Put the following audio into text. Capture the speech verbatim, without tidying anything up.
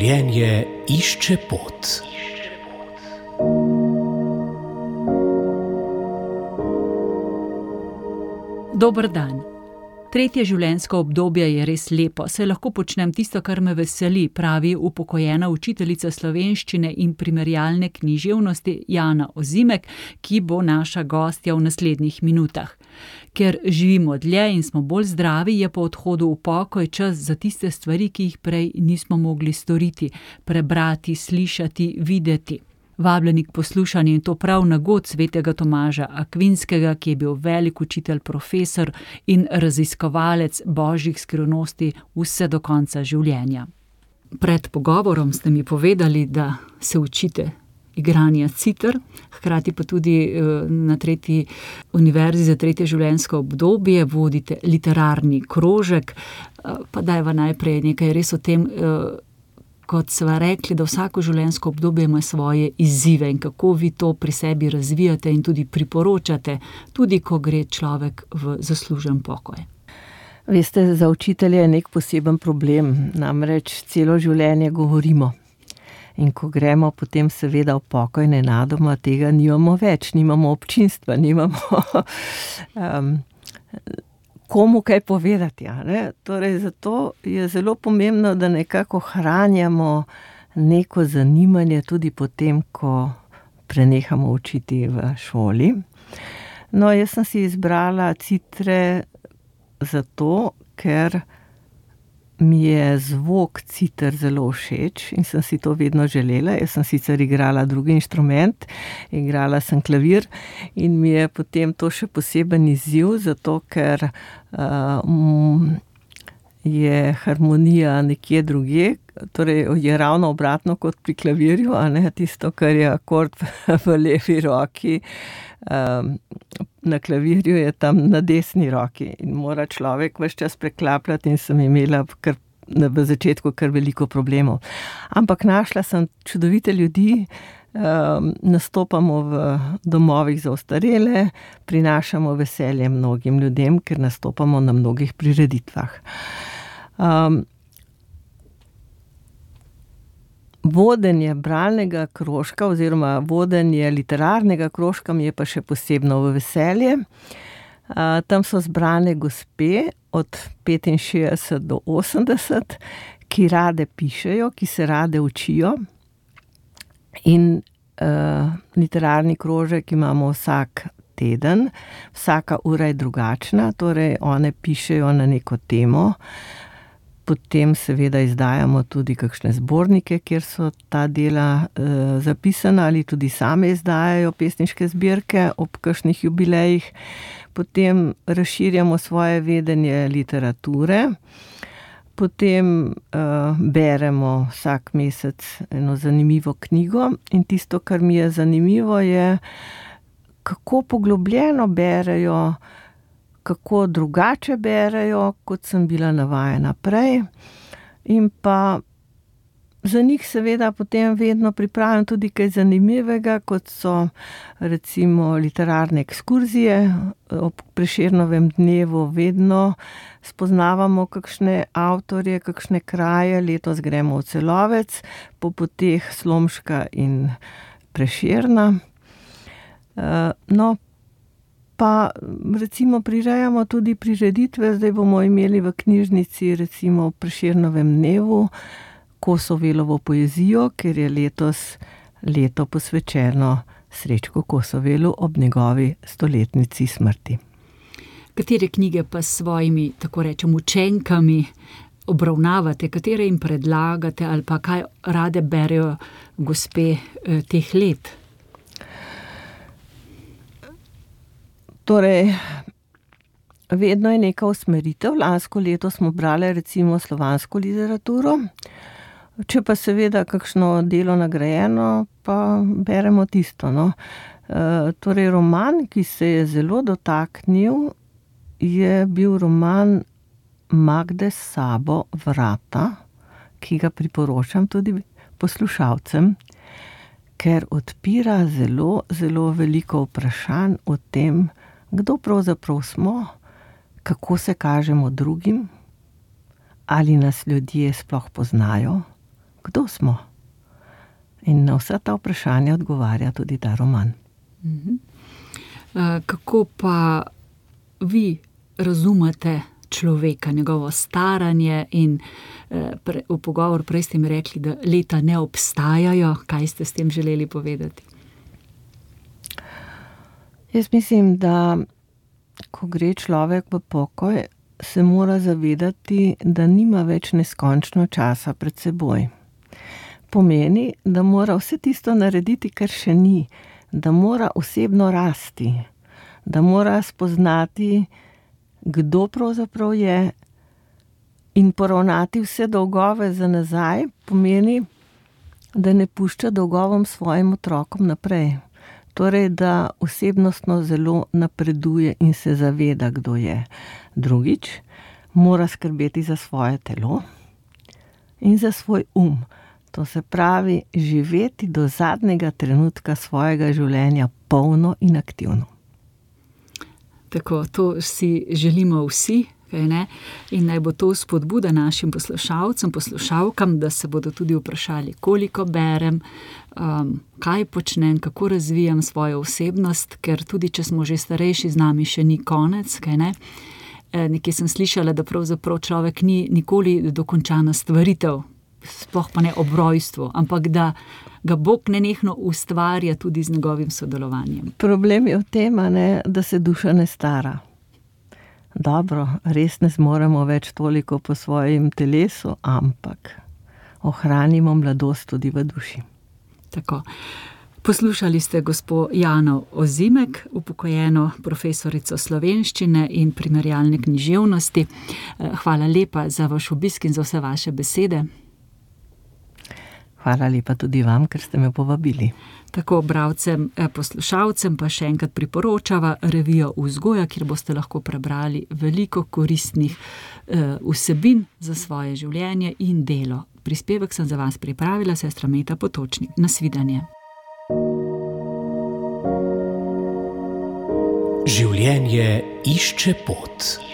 Življenje išče pot. Dober dan. Tretje življenjsko obdobje je res lepo, saj lahko počnem tisto, kar me veseli, pravi upokojena učiteljica slovenščine in primerjalne književnosti Jana Ozimek, ki bo naša gostja v naslednjih minutah. Ker živimo dlje in smo bolj zdravi, je po odhodu v pokoj čas za tiste stvari, ki jih prej nismo mogli storiti, prebrati, slišati, videti. Vabljeni k poslušanju in to prav na god svetega Tomaža Akvinskega, ki je bil velik učitelj, profesor in raziskovalec božjih skrivnosti vse do konca življenja. Pred pogovorom ste mi povedali, da se učite igranja citer, hkrati pa tudi na tretji univerzi za tretje življenjsko obdobje vodite literarni krožek. Pa dajva najprej nekaj res o tem, kot sva rekli, da vsako življenjsko obdobje ima svoje izzive in kako vi to pri sebi razvijate in tudi priporočate, tudi ko gre človek v zaslužen pokoj. Veste, za učitelje je nek poseben problem, namreč celo življenje govorimo. In ko gremo potem seveda v pokoj nenadoma, tega nimamo več, nimamo občinstva, nimamo um, komu kaj povedati. Ja, ne? Torej, zato je zelo pomembno, da nekako ohranjamo neko zanimanje tudi potem, ko prenehamo učiti v šoli. No, jaz sem si izbrala citre zato, ker mi je zvok citer zelo všeč in sem si to vedno želela. Jaz sem sicer igrala drugi inštrument, igrala sem klavir in mi je potem to še poseben izziv, zato ker uh, je harmonija nekje drugje, torej je ravno obratno kot pri klavirju, a ne tisto, kar je akord v levi roki, um, na klavirju je tam na desni roki in mora človek ves čas preklapljati in sem imela kar, v začetku kar veliko problemov. Ampak našla sem čudovite ljudi, um, nastopamo v domovih za ostarele, prinašamo veselje mnogim ljudem, ker nastopamo na mnogih prireditvah. Um, Vodenje bralnega krožka oziroma vodenje literarnega krožka mi je pa še posebno v veselje. Uh, tam so zbrane gospe od petinšestdeset do osemdeset, ki rade pišejo, ki se rade učijo. In uh, literarni krožek imamo vsak teden, vsaka ura je drugačna, torej one pišejo na neko temo. Potem seveda izdajamo tudi kakšne zbornike, kjer so ta dela e, zapisana ali tudi same izdajajo pesniške zbirke ob kakšnih jubilejih. Potem razširjamo svoje vedenje literature. Potem e, beremo vsak mesec eno zanimivo knjigo in tisto, kar mi je zanimivo, je, kako poglobljeno berejo, kako drugače berejo, kot sem bila navajena prej. In pa za njih seveda potem vedno pripravim tudi kaj zanimivega, kot so recimo literarne ekskurzije. Ob Prešernovem dnevu vedno spoznavamo kakšne avtorje, kakšne kraje. Letos gremo v Celovec, po poteh Slomška in Prešerna. No, pa recimo prirejamo tudi prireditve, zdaj bomo imeli v knjižnici recimo v Prešernovem dnevu Kosovelovo poezijo, ker je letos leto posvečeno Srečku Kosovelu ob njegovi stoletnici smrti. Katere knjige pa s svojimi, tako rečem, učenkami obravnavate, katere jim predlagate ali pa kaj rade berejo gospe eh, teh let? Torej, vedno je neka usmeritev. Lansko leto smo brali recimo slovansko literaturo. Če pa seveda kakšno delo nagrajeno, pa beremo tisto. No. E, torej, roman, ki se je zelo dotaknil, je bil roman Magde Sabo Vrata, ki ga priporočam tudi poslušalcem, ker odpira zelo, zelo veliko vprašanj o tem, kdo pravzaprav smo, kako se kažemo drugim, ali nas ljudje sploh poznajo, kdo smo. In na vsa ta vprašanja odgovarja tudi ta roman. Mhm. Kako pa vi razumete človeka, njegovo staranje in pre, v pogovor prej ste mi rekli, da leta ne obstajajo. Kaj ste s tem želeli povedati? Jaz mislim, da ko gre človek v pokoj, se mora zavedati, da nima več neskončno časa pred seboj. Pomeni, da mora vse tisto narediti, kar še ni, da mora osebno rasti, da mora spoznati, kdo pravzaprav je, in poravnati vse dolgove za nazaj, pomeni, da ne pušča dolgovom svojim otrokom naprej. Torej, da osebnostno zelo napreduje in se zaveda, kdo je. Drugič, mora skrbeti za svoje telo in za svoj um. To se pravi, živeti do zadnjega trenutka svojega življenja polno in aktivno. Tako, to si želimo vsi, kaj ne? In naj bo to spodbuda našim poslušalcem, poslušalkam, da se bodo tudi vprašali, koliko berem, um, kaj počnem, kako razvijam svojo osebnost, ker tudi, če smo že starejši, z nami še ni konec, kaj ne? E, nekje sem slišala, da pravzaprav človek ni nikoli dokončana stvaritev, sploh pa ne ob rojstvu, ampak da ga Bog nenehno ustvarja tudi z njegovim sodelovanjem. Problem je v tem, ne, da se duša ne stara. Dobro, res ne zmoremo več toliko po svojem telesu, ampak ohranimo mladost tudi v duši. Tako. Poslušali ste gospo Jano Ozimek, upokojeno profesorico slovenščine in primerjalne književnosti. Hvala lepa za vaš obisk in za vse vaše besede. Hvala lepa tudi vam, ker ste me povabili. Tako bralcem, poslušalcem pa še enkrat priporočava revijo Vzgoja, kjer boste lahko prebrali veliko koristnih eh, vsebin za svoje življenje in delo. Prispevek sem za vas pripravila sestra Meta Potočnik. Nasvidenje. Življenje išče pot.